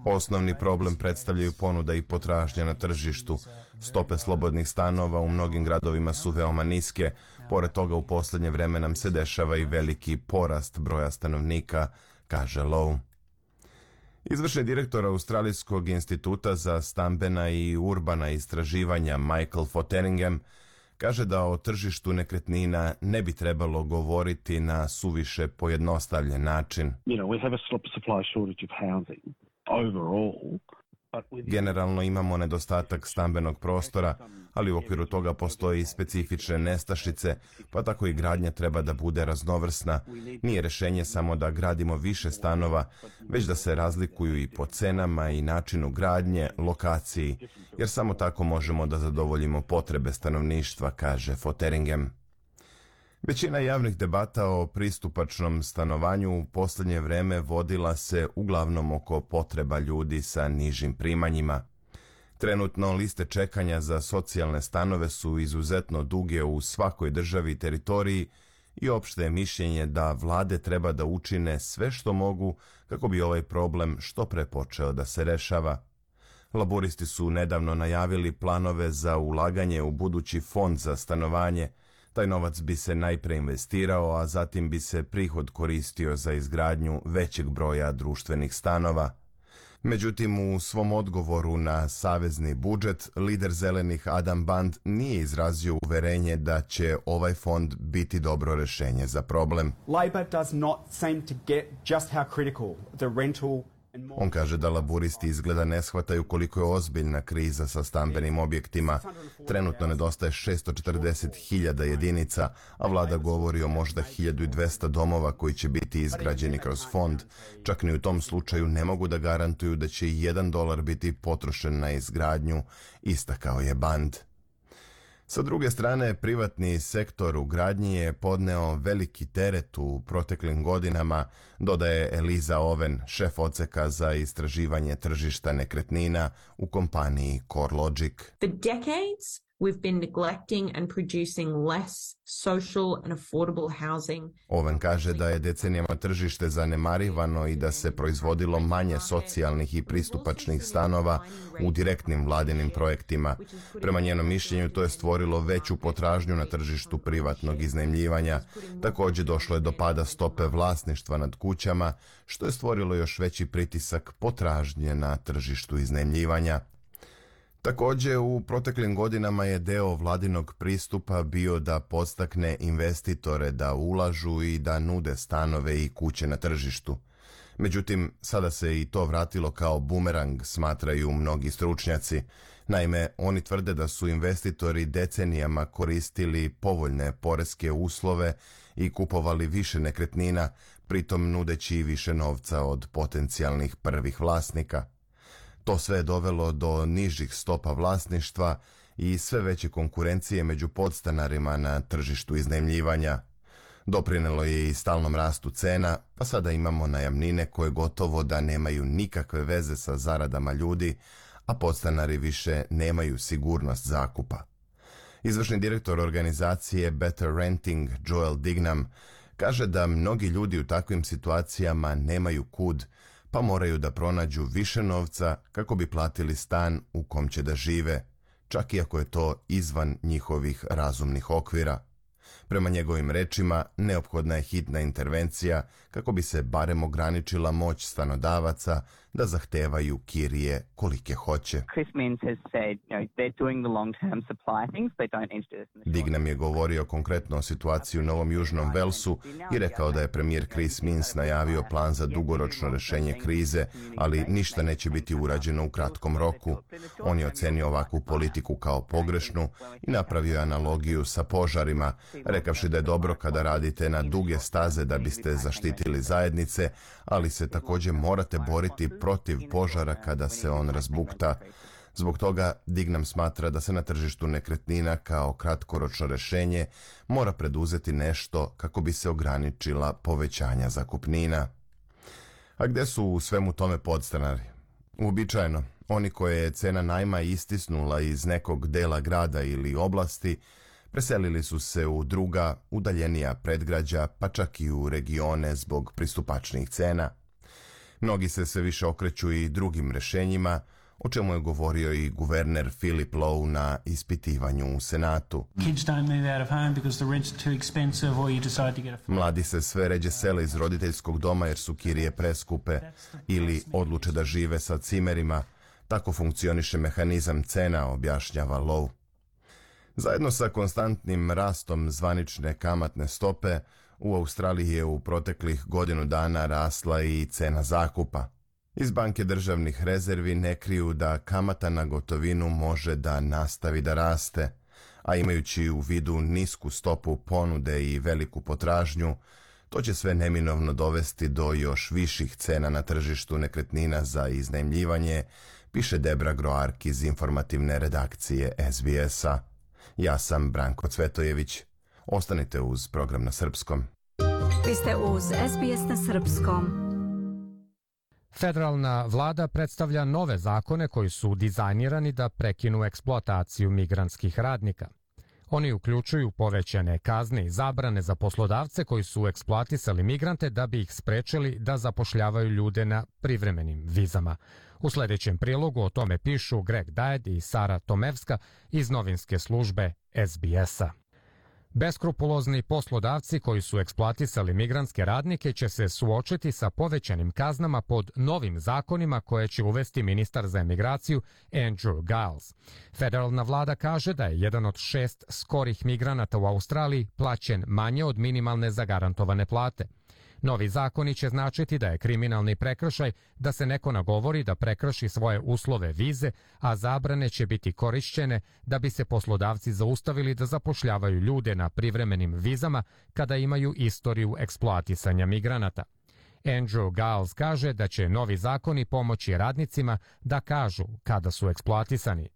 Osnovni problem predstavljaju ponuda i potražnja na tržištu. Stope slobodnih stanova u mnogim gradovima su veoma niske. Pored toga u posljednje vreme nam se dešava i veliki porast broja stanovnika, kaže Lowe. Izvršni direktor Australijskog instituta za stambena i urbana istraživanja Michael Fotheringham kaže da o tržištu nekretnina ne bi trebalo govoriti na suviše pojednostavljen način. Generalno imamo nedostatak stambenog prostora, ali u okviru toga postoji specifične nestašice, pa tako i gradnja treba da bude raznovrsna. Nije rješenje samo da gradimo više stanova, već da se razlikuju i po cenama i načinu gradnje, lokaciji, jer samo tako možemo da zadovoljimo potrebe stanovništva, kaže Fotheringham. Većina javnih debata o pristupačnom stanovanju u posljednje vreme vodila se uglavnom oko potreba ljudi sa nižim primanjima. Trenutno liste čekanja za socijalne stanove su izuzetno duge u svakoj državi i teritoriji i opšte je mišljenje da vlade treba da učine sve što mogu kako bi ovaj problem što pre počeo da se rešava. Laboristi su nedavno najavili planove za ulaganje u budući fond za stanovanje. Taj novac bi se najpre investirao, a zatim bi se prihod koristio za izgradnju većeg broja društvenih stanova. Međutim, u svom odgovoru na savezni budžet, lider zelenih Adam Band nije izrazio uverenje da će ovaj fond biti dobro rešenje za problem. Labor does not seem to get just how critical the rental. On kaže da laburisti izgleda ne shvataju koliko je ozbiljna kriza sa stambenim objektima. Trenutno nedostaje 640.000 jedinica, a vlada govori o možda 1200 domova koji će biti izgrađeni kroz fond. Čak ni u tom slučaju ne mogu da garantuju da će $1 biti potrošen na izgradnju, istakao je Band. Sa druge strane, privatni sektor u gradnji je podneo veliki teret u proteklim godinama, dodaje Eliza Owen, šef odseka za istraživanje tržišta nekretnina u kompaniji CoreLogic. For decades, we've been neglecting and producing less social and affordable housing. Owen kaže da je decenijama tržište zanemarivano i da se proizvodilo manje socijalnih i pristupačnih stanova u direktnim vladinim projektima. Prema njenom mišljenju to je stvorilo veću potražnju na tržištu privatnog iznajmljivanja. Također došlo je do pada stope vlasništva nad kućama, što je stvorilo još veći pritisak potražnje na tržištu iznajmljivanja. Također, u proteklim godinama je deo vladinog pristupa bio da podstakne investitore da ulažu i da nude stanove i kuće na tržištu. Međutim, sada se i to vratilo kao bumerang, smatraju mnogi stručnjaci. Naime, oni tvrde da su investitori decenijama koristili povoljne poreske uslove i kupovali više nekretnina, pritom nudeći više novca od potencijalnih prvih vlasnika. To sve je dovelo do nižih stopa vlasništva i sve veće konkurencije među podstanarima na tržištu iznajmljivanja. Doprinelo je i stalnom rastu cena, pa sada imamo najamnine koje gotovo da nemaju nikakve veze sa zaradama ljudi, a podstanari više nemaju sigurnost zakupa. Izvršni direktor organizacije Better Renting, Joel Dignam, kaže da mnogi ljudi u takvim situacijama nemaju kud, pa moraju da pronađu više novca kako bi platili stan u kom će da žive, čak i ako je to izvan njihovih razumnih okvira. Prema njegovim rečima, neophodna je hitna intervencija kako bi se barem ograničila moć stanodavaca da zahtevaju kirije kolike hoće. Dignam je govorio konkretno o situaciji u Novom Južnom Velsu i rekao da je premijer Chris Minns najavio plan za dugoročno rešenje krize, ali ništa neće biti urađeno u kratkom roku. On je ocenio ovakvu politiku kao pogrešnu i napravio je analogiju sa požarima, rekavši da je dobro kada radite na duge staze da biste zaštitili zajednice, ali se također morate boriti protiv požara kada se on razbukta. Zbog toga Dignam smatra da se na tržištu nekretnina kao kratkoročno rešenje mora preduzeti nešto kako bi se ograničila povećanja zakupnina. A gde su u svemu tome podstanari? Uobičajeno, oni koje je cena najma istisnula iz nekog dela grada ili oblasti, preselili su se u druga, udaljenija predgrađa, pa čak i u regione zbog pristupačnih cena. Mnogi se sve više okreću i drugim rešenjima, o čemu je govorio i guverner Philip Lowe na ispitivanju u Senatu. Mladi se sve ređe sele iz roditeljskog doma jer su kirije preskupe ili odluče da žive sa cimerima. Tako funkcioniše mehanizam cena, objašnjava Lowe. Zajedno sa konstantnim rastom zvanične kamatne stope, u Australiji je u proteklih godinu dana rasla i cena zakupa. Iz banke državnih rezervi ne kriju da kamata na gotovinu može da nastavi da raste, a imajući u vidu nisku stopu ponude i veliku potražnju, to će sve neminovno dovesti do još viših cena na tržištu nekretnina za iznajmljivanje, piše Debra Groark iz informativne redakcije SBS-a. Ja sam Branko Cvetojević. Ostanite uz program na srpskom. Vi ste uz SBS na srpskom. Federalna vlada predstavlja nove zakone koji su dizajnirani da prekinu eksploataciju migrantskih radnika. Oni uključuju povećane kazne i zabrane za poslodavce koji su eksploatisali migrante da bi ih sprečili da zapošljavaju ljude na privremenim vizama. U sljedećem prilogu o tome pišu Greg Dajed i Sara Tomevska iz novinske službe SBS-a. Beskrupulozni poslodavci koji su eksploatisali migrantske radnike će se suočiti sa povećanim kaznama pod novim zakonima koje će uvesti ministar za emigraciju Andrew Giles. Federalna vlada kaže da je jedan od 6 skorih migranata u Australiji plaćen manje od minimalne zagarantovane plate. Novi zakoni će značiti da je kriminalni prekršaj da se neko nagovori da prekrši svoje uslove vize, a zabrane će biti korišćene da bi se poslodavci zaustavili da zapošljavaju ljude na privremenim vizama kada imaju istoriju eksploatisanja migranata. Andrew Giles kaže da će novi zakoni pomoći radnicima da kažu kada su eksploatisani.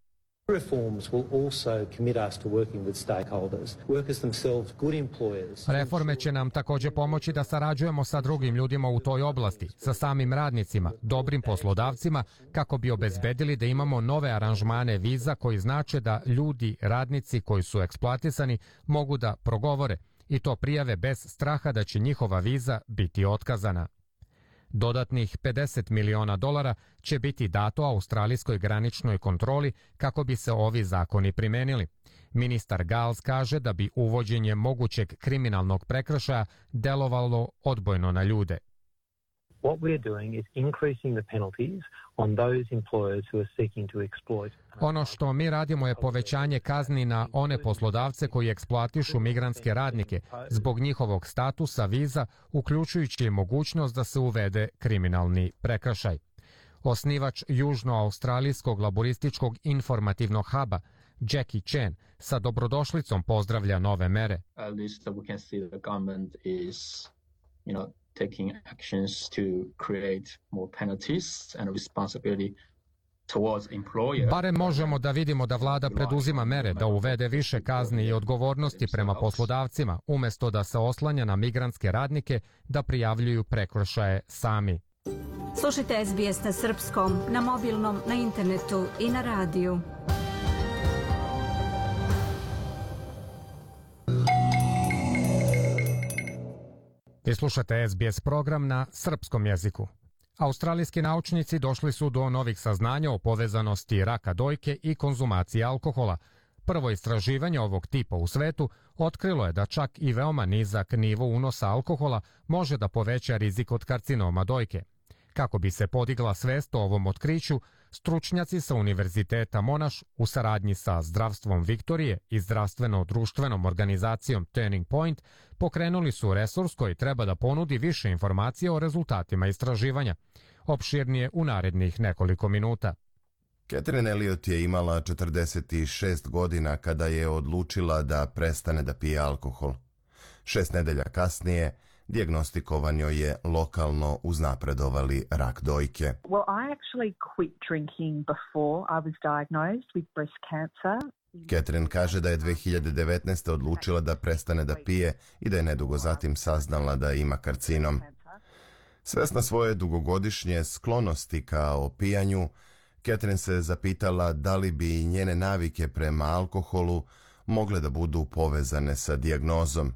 Reforme će nam također pomoći da sarađujemo sa drugim ljudima u toj oblasti, sa samim radnicima, dobrim poslodavcima, kako bi obezbedili da imamo nove aranžmane viza koji znače da ljudi, radnici koji su eksploatisani mogu da progovore i to prijave bez straha da će njihova viza biti otkazana. Dodatnih $50 miliona će biti dato australijskoj graničnoj kontroli kako bi se ovi zakoni primenili. Ministar Giles kaže da bi uvođenje mogućeg kriminalnog prekršaja delovalo odbojno na ljude. What we're doing is increasing the penalties on those employers who are seeking to exploit. Ono što mi radimo je povećanje kazni na one poslodavce koji eksploatišu migrantske radnike zbog njihovog statusa viza, uključujući mogućnost da se uvede kriminalni prekršaj. Osnivač južnoaustralijskog laborističkog informativnog huba Jackie Chen sa dobrodošlicom pozdravlja nove mere. Taking actions to create more penalties and responsibility towards employer. Barem možemo da vidimo da vlada preduzima mere da uvede više kazni i odgovornosti prema poslodavcima, umjesto da se oslanja na migrantske radnike da prijavljuju prekršaje sami. Slušajte SBS na srpskom, na mobilnom, na internetu i na radiju. Vi slušate SBS program na srpskom jeziku. Australijski naučnici došli su do novih saznanja o povezanosti raka dojke i konzumacije alkohola. Prvo istraživanje ovog tipa u svetu otkrilo je da čak i veoma nizak nivo unosa alkohola može da poveća rizik od karcinoma dojke. Kako bi se podigla svest o ovom otkriću, stručnjaci sa Univerziteta Monash u saradnji sa Zdravstvom Viktorije i zdravstveno-društvenom organizacijom Turning Point pokrenuli su resurs koji treba da ponudi više informacija o rezultatima istraživanja. Opširnije u narednih nekoliko minuta. Catherine Elliot je imala 46 godina kada je odlučila da prestane da pije alkohol. 6 nedelja kasnije dijagnostikovan joj je lokalno uznapredovali rak dojke. Well, I actually quit drinking before I was diagnosed with breast cancer. Catherine kaže da je 2019. odlučila da prestane da pije i da je nedugo zatim saznala da ima karcinom. Svesna svoje dugogodišnje sklonosti ka opijanju, Catherine se zapitala da li bi njene navike prema alkoholu mogle da budu povezane sa dijagnozom.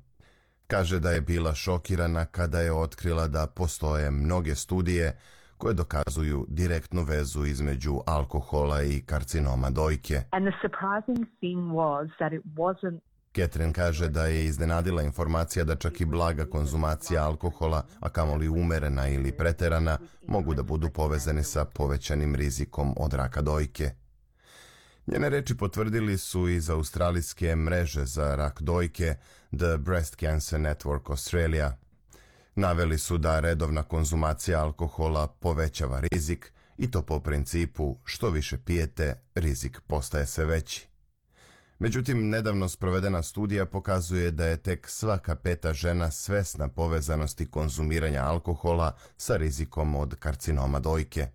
Kaže da je bila šokirana kada je otkrila da postoje mnoge studije koje dokazuju direktnu vezu između alkohola i karcinoma dojke. Catherine kaže da je iznenadila informacija da čak i blaga konzumacija alkohola, a kamoli umerena ili preterana, mogu da budu povezani sa povećanim rizikom od raka dojke. Njene reči potvrdili su iz australijske mreže za rak dojke The Breast Cancer Network Australia. Naveli su da redovna konzumacija alkohola povećava rizik i to po principu što više pijete, rizik postaje sve veći. Međutim, nedavno sprovedena studija pokazuje da je tek svaka 5. žena svesna povezanosti konzumiranja alkohola sa rizikom od karcinoma dojke.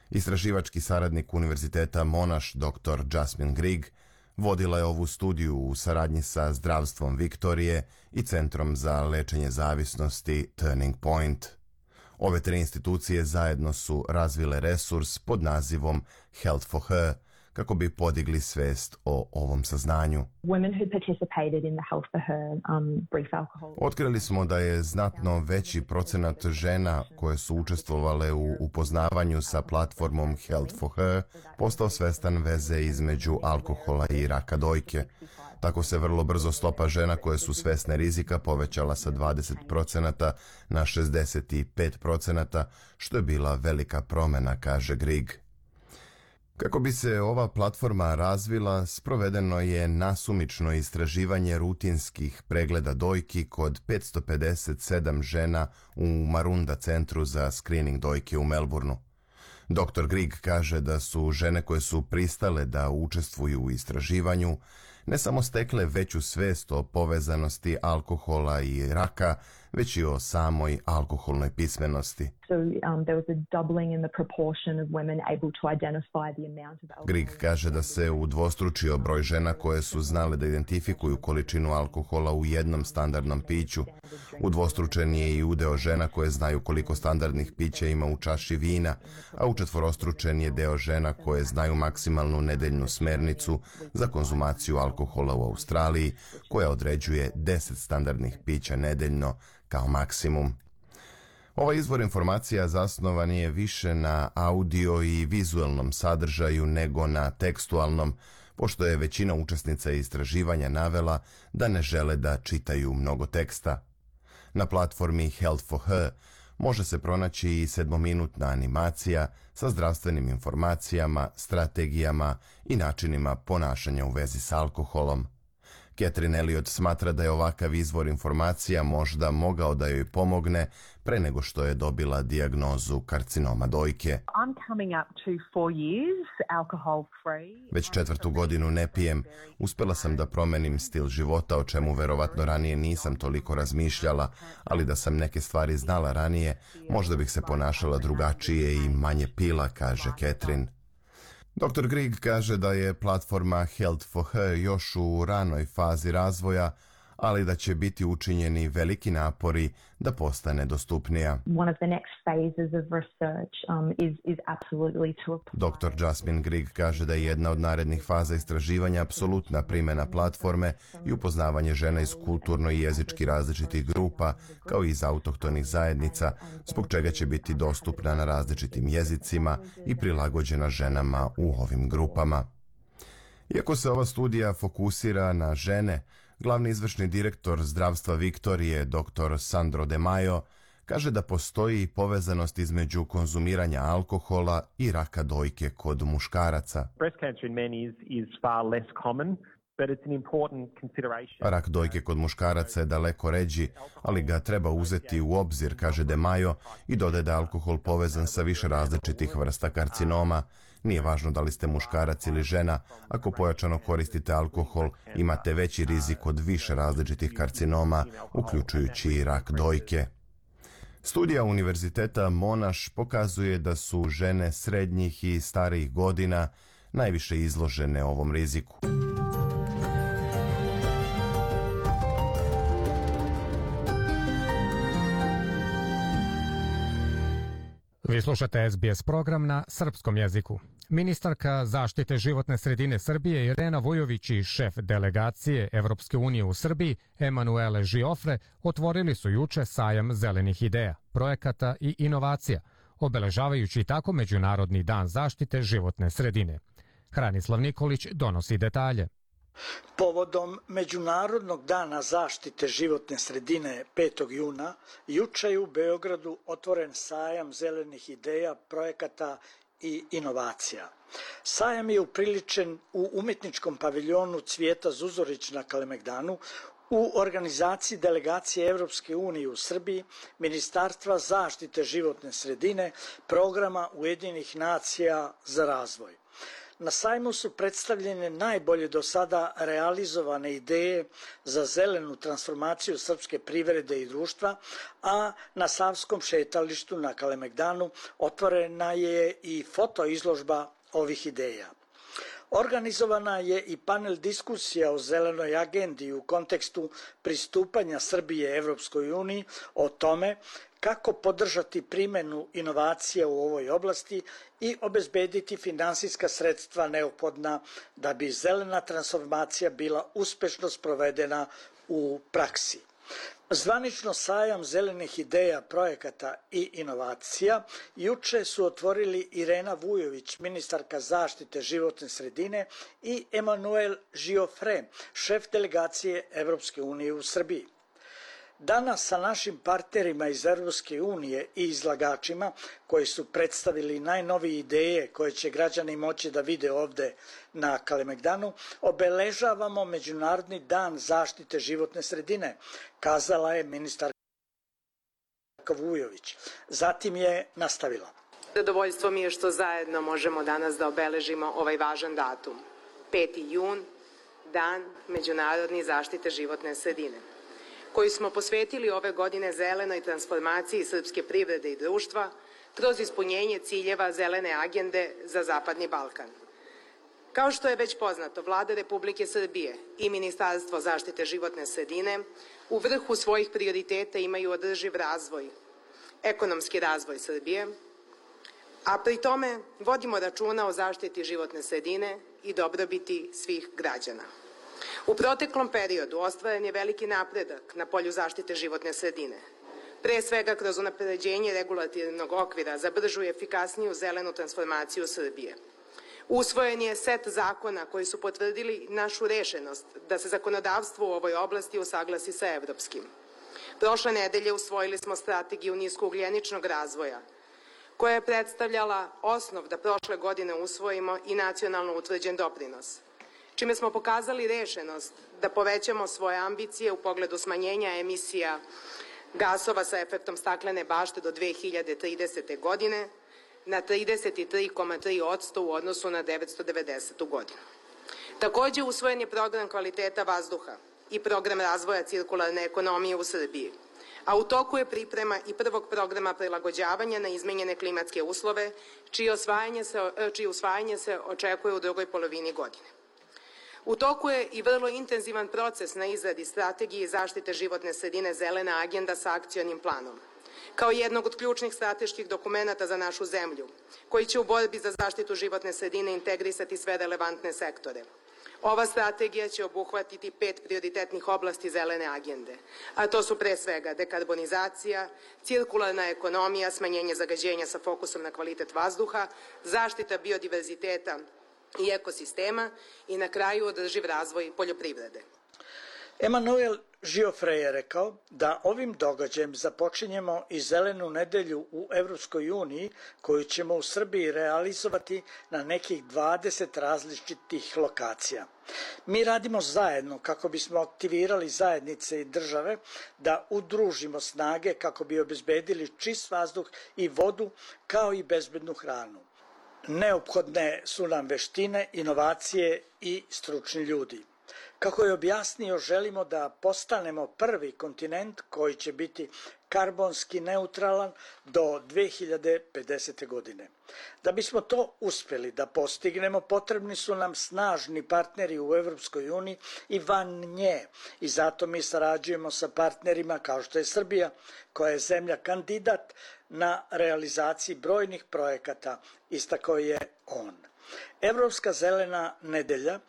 Istraživački saradnik Univerziteta Monash, dr. Jasmine Grigg, vodila je ovu studiju u saradnji sa Zdravstvom Viktorije i Centrom za lečenje zavisnosti Turning Point. Ove 3 institucije zajedno su razvile resurs pod nazivom Health for Her, kako bi podigli svest o ovom saznanju. Otkrili smo da je znatno veći procenat žena koje su učestvovale u upoznavanju sa platformom Health for Her postao svestan veze između alkohola i raka dojke. Tako se vrlo brzo stopa žena koje su svesne rizika povećala sa 20% na 65%, što je bila velika promjena, kaže Grigg. Kako bi se ova platforma razvila, sprovedeno je nasumično istraživanje rutinskih pregleda dojki kod 557 žena u Marunda centru za screening dojke u Melbourneu. Dr. Grigg kaže da su žene koje su pristale da učestvuju u istraživanju ne samo stekle veću svest o povezanosti alkohola i raka, već i o samoj alkoholnoj pismenosti. Grigg kaže da se udvostručio broj žena koje su znale da identifikuju količinu alkohola u jednom standardnom piću. Udvostručen je i udeo žena koje znaju koliko standardnih pića ima u čaši vina, a učetvorostručen je deo žena koje znaju maksimalnu nedeljnu smernicu za konzumaciju alkohola u Australiji, koja određuje 10 standardnih pića nedeljno kao maksimum. Ovaj izvor informacija zasnovan je više na audio i vizualnom sadržaju nego na tekstualnom, pošto je većina učesnica istraživanja navela da ne žele da čitaju mnogo teksta. Na platformi Health for Her može se pronaći i 7-minutna animacija sa zdravstvenim informacijama, strategijama i načinima ponašanja u vezi s alkoholom. Catherine Elliot smatra da je ovakav izvor informacija možda mogao da joj pomogne pre nego što je dobila dijagnozu karcinoma dojke. Već 4. godinu ne pijem. Uspela sam da promenim stil života, o čemu verovatno ranije nisam toliko razmišljala, ali da sam neke stvari znala ranije, možda bih se ponašala drugačije i manje pila, kaže Catherine. Dr. Grigg kaže da je platforma Health for Her još u ranoj fazi razvoja, ali da će biti učinjeni veliki napori da postane dostupnija. Dr. Jasmine Grigg kaže da je jedna od narednih faza istraživanja apsolutna primjena platforme i upoznavanje žena iz kulturno i jezički različitih grupa, kao i iz autohtonih zajednica, zbog čega će biti dostupna na različitim jezicima i prilagođena ženama u ovim grupama. Iako se ova studija fokusira na žene, glavni izvršni direktor Zdravstva Viktorije, dr. Sandro De Maio, kaže da postoji povezanost između konzumiranja alkohola i raka dojke kod muškaraca. Rak dojke kod muškaraca je daleko ređi, ali ga treba uzeti u obzir, kaže De Maio, i dodaje da je alkohol povezan sa više različitih vrsta karcinoma. Nije važno da li ste muškarac ili žena, ako pojačano koristite alkohol, imate veći rizik od više različitih karcinoma, uključujući i rak dojke. Studija Univerziteta Monash pokazuje da su žene srednjih i starijih godina najviše izložene ovom riziku. Vi slušate SBS program na srpskom jeziku. Ministarka zaštite životne sredine Srbije Irena Vujović i šef delegacije Evropske unije u Srbiji Emanuele Žiofre otvorili su juče sajam zelenih ideja, projekata i inovacija, obeležavajući tako Međunarodni dan zaštite životne sredine. Hranislav Nikolić donosi detalje. Povodom Međunarodnog dana zaštite životne sredine 5. juna, juče je u Beogradu otvoren sajam zelenih ideja, projekata i inovacija. Sajam je upriličen u umetničkom paviljonu Cvijeta Zuzorić na Kalemegdanu u organizaciji delegacije Evropske unije u Srbiji, Ministarstva zaštite životne sredine, programa Ujedinjenih nacija za razvoj. Na sajmu su predstavljene najbolje do sada realizovane ideje za zelenu transformaciju srpske privrede i društva, a na Savskom šetalištu na Kalemegdanu otvorena je i fotoizložba ovih ideja. Organizovana je i panel diskusija o zelenoj agendi u kontekstu pristupanja Srbije Evropskoj uniji o tome kako podržati primenu inovacija u ovoj oblasti i obezbediti finansijska sredstva neophodna da bi zelena transformacija bila uspešno sprovedena u praksi. Zvanično sajam zelenih ideja, projekata i inovacija juče su otvorili Irena Vujović, ministarka zaštite životne sredine, i Emanuel Giofre, šef delegacije Evropske unije u Srbiji. Danas sa našim partnerima iz Evropske unije i izlagačima koji su predstavili najnovije ideje koje će građani moći da vide ovde na Kalemegdanu, obeležavamo Međunarodni dan zaštite životne sredine, kazala je ministarka Vujović. Zatim je nastavila. Zadovoljstvo mi je što zajedno možemo danas da obeležimo ovaj važan datum. 5. jun, dan Međunarodni zaštite životne sredine, koji smo posvetili ove godine zelenoj transformaciji srpske privrede i društva kroz ispunjenje ciljeva zelene agende za Zapadni Balkan. Kao što je već poznato, Vlada Republike Srbije i Ministarstvo zaštite životne sredine u vrhu svojih prioriteta imaju održiv razvoj, ekonomski razvoj Srbije, a pri tome vodimo računa o zaštiti životne sredine i dobrobiti svih građana. U proteklom periodu ostvaren je veliki napredak na polju zaštite životne sredine, pre svega kroz unapređenje regulativnog okvira za bržu i efikasniju zelenu transformaciju Srbije. Usvojen je set zakona koji su potvrdili našu rešenost da se zakonodavstvo u ovoj oblasti usaglasi sa evropskim. Prošle nedelje usvojili smo strategiju niskougljeničnog razvoja, koja je predstavljala osnov da prošle godine usvojimo i nacionalno utvrđen doprinos, čime smo pokazali rešenost da povećamo svoje ambicije u pogledu smanjenja emisija gasova sa efektom staklene bašte do 2030. godine na 33,3% u odnosu na 1990. godinu. Takođe, usvojen je program kvaliteta vazduha i program razvoja cirkularne ekonomije u Srbiji, a u toku je priprema i prvog programa prilagođavanja na izmenjene klimatske uslove, čije usvajanje se očekuje u drugoj polovini godine. U toku je i vrlo intenzivan proces na izradi strategije zaštite životne sredine Zelena agenda sa akcionim planom, kao jednog od ključnih strateških dokumenata za našu zemlju, koji će u borbi za zaštitu životne sredine integrisati sve relevantne sektore. Ova strategija će obuhvatiti 5 prioritetnih oblasti zelene agende, a to su pre svega dekarbonizacija, cirkularna ekonomija, smanjenje zagađenja sa fokusom na kvalitet vazduha, zaštita biodiverziteta i ekosistema i na kraju održiv razvoj poljoprivrede. Emanuel Giofre je rekao da ovim događajem započinjemo i zelenu nedelju u Evropskoj uniji koju ćemo u Srbiji realizovati na nekih 20 različitih lokacija. Mi radimo zajedno kako bismo aktivirali zajednice i države da udružimo snage kako bi obezbedili čist vazduh i vodu kao i bezbednu hranu. Neophodne su nam veštine, inovacije i stručni ljudi. Kako je objasnio, želimo da postanemo prvi kontinent koji će biti karbonski neutralan do 2050. godine. Da bismo to uspeli da postignemo, potrebni su nam snažni partneri u Evropskoj uniji i van nje. I zato mi sarađujemo sa partnerima kao što je Srbija, koja je zemlja kandidat na realizaciji brojnih projekata, istakao je on. Evropska zelena nedelja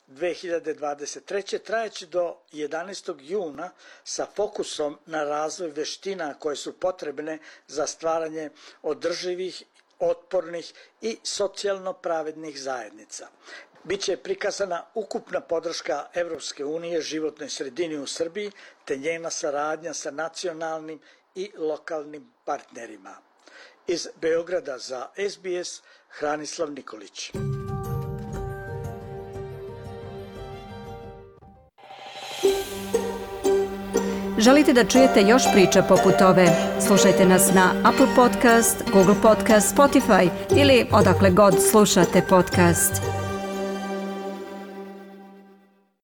2023. trajeće do 11. juna sa fokusom na razvoj veština koje su potrebne za stvaranje održivih, otpornih i socijalno pravednih zajednica. Biće prikazana ukupna podrška Evropske unije životnoj sredini u Srbiji te njena saradnja sa nacionalnim i lokalnim partnerima. Iz Beograda za SBS, Hranislav Nikolić. Želite da čujete još priča poput ove? Slušajte nas na Apple Podcast, Google Podcast, Spotify ili odakle god slušate podcast.